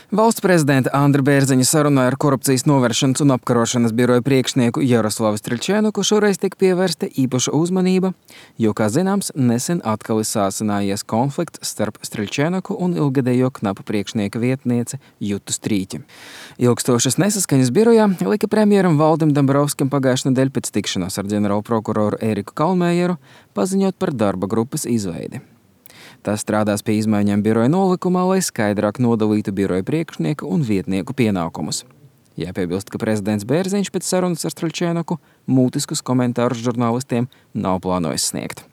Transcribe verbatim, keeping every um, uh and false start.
Valsts prezidenta Andra Bērziņa sarunā ar korupcijas novēršanas un apkarošanas biroja priekšnieku Jaroslavu Striļčēnuku šoreiz tika pievērsta īpaša uzmanība, jo, kā zināms, nesen atkal ir sāsinājies konflikts starp Striļčēnuku un ilgadējo knapa priekšnieka vietnieci Jutu Strīķi. Ilgstošas nesaskaņas birojā lika premjeram Valdim Dombrovskim pagājušajā nedēļā pēc tikšanās ar ģenerālprokuroru Eriku Kalmējeru paziņot par darba grupas izveidi. Tas strādās pie izmaiņām biroja nolikumā, lai skaidrāk nodalītu biroja priekšnieku un vietnieku pienākumus. Jāpiebilst, ka prezidents Bērziņš pēc sarunas ar Striļčēnuku mūtiskus komentārus žurnālistiem nav plānojis sniegt.